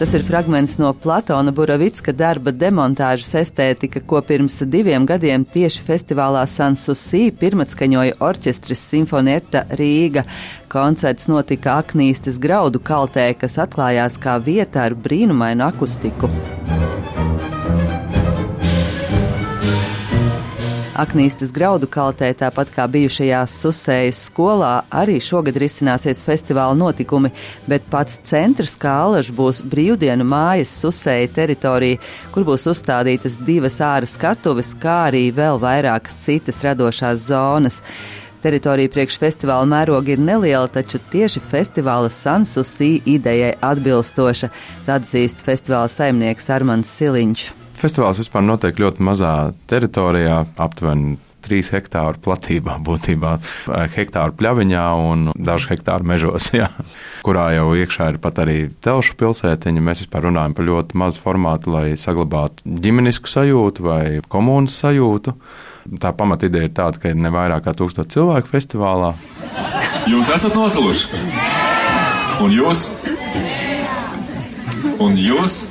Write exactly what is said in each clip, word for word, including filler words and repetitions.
Tas ir fragments no Platona Buravicka darba Demontāžas estētika, ko pirms diviem gadiem tieši festivālā Sanssouci pirmatskaņoja orķestris Sinfonietta Rīga. Koncerts notika Aknīstes graudu kaltē, kas atklājās kā vieta ar brīnumainu akustiku. Aknīstes graudu kaltē, tāpat kā bijušajā Susējas skolā, arī šogad risināsies festivāla notikumi, bet pats centrs kā alaž būs brīvdienu mājas Susēja teritorija, kur būs uzstādītas divas āra skatuves, kā arī vēl vairākas citas radošās zonas. Teritorija priekš festivāla mēroga ir neliela, taču tieši festivāla Sanssouci idejai atbilstoša, atzīst festivāla saimnieks Armands Siliņš. Festivāls vispār notiek ļoti mazā teritorijā, aptuveni trīs hektāru platībā būtībā, hektāru pļaviņā un dažu hektāru mežos, jā, kurā jau iekšā ir pat arī telšu pilsētiņa. Mēs vispār runājam par ļoti mazu formātu, lai saglabātu ģimenisku sajūtu vai komunas sajūtu. Tā pamata ideja ir tāda, ka ir ne vairāk kā tūkstoši cilvēku festivālā. Jūs esat nosaluši? Un jūs? Un jūs?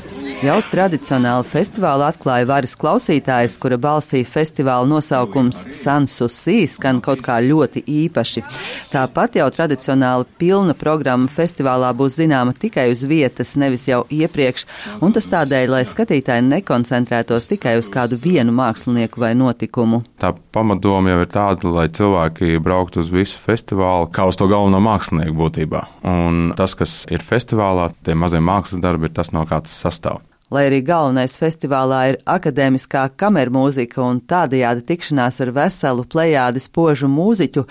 Jau tradicionāli festivālu atklāja varas klausītājs, kura balsī festivāla nosaukums Sanssouci skan kaut kā ļoti īpaši. Tāpat jau tradicionāli pilna programma festivālā būs zināma tikai uz vietas, nevis jau iepriekš, un tas tādēļ, lai skatītāji nekoncentrētos tikai uz kādu vienu mākslinieku vai notikumu. Tā pamatdoma jau ir tāda, lai cilvēki brauktu uz visu festivālu kā uz to galveno mākslinieku būtībā. Un tas, kas ir festivālā, tie mazie mākslas darbi, ir tas, no kā tas sastāv. Lai arī galvenais festivālā ir akadēmiskā kamermūzika un tādajādi tikšanās ar veselu plejādi spožu mūziķu,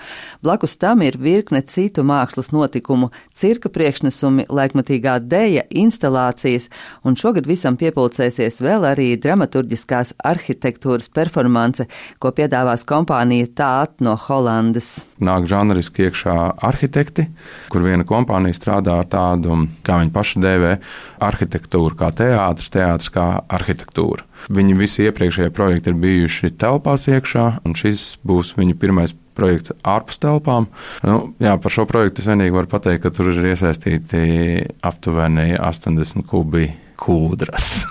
blakus tam ir virkne citu mākslas notikumu, cirka priekšnesumi, laikmatīgā deja, instalācijas, un šogad visam piepulcēsies vēl arī dramaturģiskās arhitektūras performance, ko piedāvās kompānija Tāt no Holandes. Nāk žanriski iekšā arhitekti, kur viena kompānija strādā ar tādu, kā viņi paši dēvē, arhitektūru kā teātris, teātris kā arhitektūra. Viņi visi iepriekšējie projekti ir bijuši telpās iekšā, un šis būs viņu pirmais projekts ārpus telpām. Nu, jā, par šo projektu es vienīgi varu pateikt, ka tur ir iesaistīti aptuveni astoņdesmit kubi kūdras.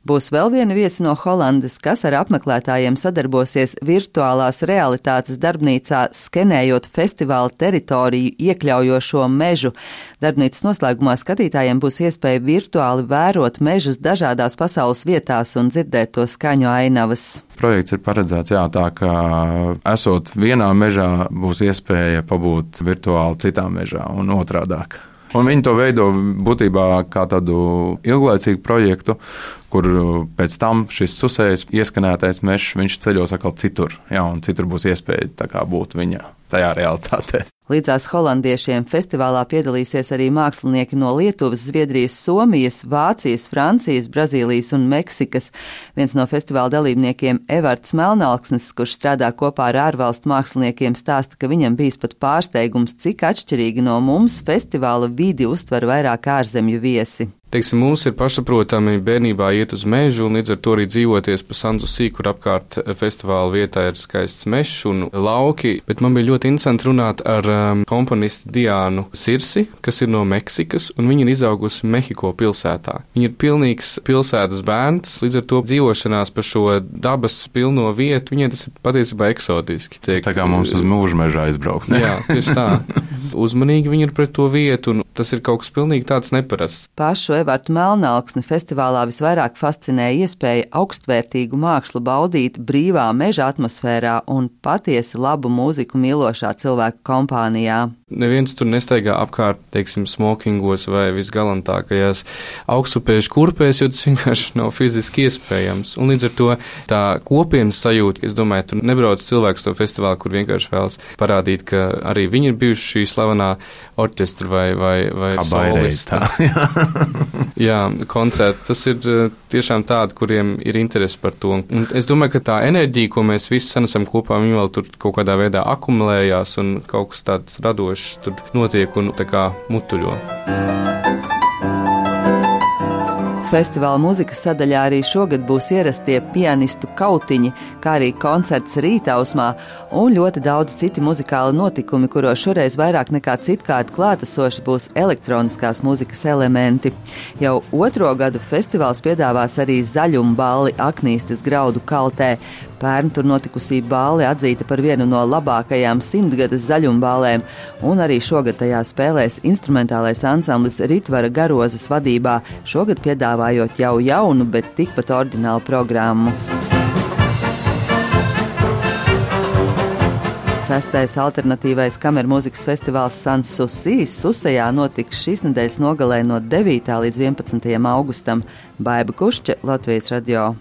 Būs vēl viena viesa no Holandes, kas ar apmeklētājiem sadarbosies virtuālās realitātes darbnīcā, skenējot festivāla teritoriju iekļaujošo mežu. Darbnīcas noslēgumā skatītājiem būs iespēja virtuāli vērot mežus dažādās pasaules vietās un dzirdēt to skaņu ainavas. Projekts ir paredzēts jā, tā, ka esot vienā mežā būs iespēja pabūt virtuāli citā mežā un otrādāk. Un viņi to veido būtībā kā tādu ilglaicīgu projektu, kur pēc tam šis Susējas ieskanētais mežs, viņš ceļos atkal citur, jā, un citur būs iespēja tā kā būt viņa tajā realitātē. Līdzās holandiešiem festivālā piedalīsies arī mākslinieki no Lietuvas, Zviedrijas, Somijas, Vācijas, Francijas, Brazīlijas un Meksikas. Viens no festivāla dalībniekiem, Evarts Melnalksnis, kurš strādā kopā ar ārvalstu māksliniekiem, stāsta, ka viņam bijis pat pārsteigums, cik atšķirīgi no mums festivāla vidi uztver vairāk ārzemju viesi. Teiksim, mums ir pašsaprotami bērnībā iet uz mežu un līdz ar to arī dzīvoties pa Sanssouci, kur apkārt festivāla vietā ir skaists mežs un lauki, bet man bija ļoti interesanti runāt ar um, komponistu Diānu Sirsi, kas ir no Meksikas, un viņa ir izaugusi Mehiko pilsētā. Viņa ir pilnīgs pilsētas bērns, līdz ar to dzīvošanās pa šo dabas pilno vietu, viņai tas ir patiesībā eksotiski. Tas tā kā mums uz mūža mežā izbraukt. Ne? Jā, tieši tā. Uzmanīgi viņi ir pret to vietu, un tas ir kaut kas pilnīgi tāds neparasts. Pašu Evartu Melnalksni festivālā visvairāk fascinēja iespēja augstvērtīgu mākslu baudīt brīvā meža atmosfērā un patiesi labu mūziku mīlošā cilvēku kompānijā. Neviens tur nestaigā apkārt, teiksim, smokingos vai visgalantākajās augstupēžu kurpēs, jo tas vienkārši nav fiziski iespējams. Un līdz ar to tā kopienas sajūta, es domāju, tur nebrauc cilvēks to festivālu, kur vienkārši vēlas parādīt, ka arī viņi ir bijuši šī slavenā orķestra vai, vai, vai solista. Jā, koncerti. Tas ir tiešām tādi, kuriem ir interesi par to. Un es domāju, ka tā enerģija, ko mēs visi sanesam kopā, viņi vēl tur kaut kādā veidā akumulējās un kaut kas tāds radošs tur notiek un tā kā mutuļo. Festivāla mūzikas sadaļā arī šogad būs ierastie pianistu kautiņi, kā arī koncerts Rītausmā un ļoti daudz citi muzikāli notikumi, kuros šoreiz vairāk nekā citkārt klātesoši būs elektroniskās mūzikas elementi. Jau otro gadu festivāls piedāvās arī zaļumu balli Aknīstes graudu kaltē. Pērn tur notikusī balli atzīta par vienu no labākajām simtgades zaļumbālēm, un arī šogad tajā spēlēs instrumentālais ansamblis Ritvara Garozas vadībā, šogad piedāvājot jau jaunu, bet tikpat oriģinālu programmu. Sestais alternatīvais kamermūzikas festivāls Sans Souci Susejā notiks šīs nedēļas nogalē no devītā līdz vienpadsmitajam augustam. Baiba Kušķe, Latvijas radio.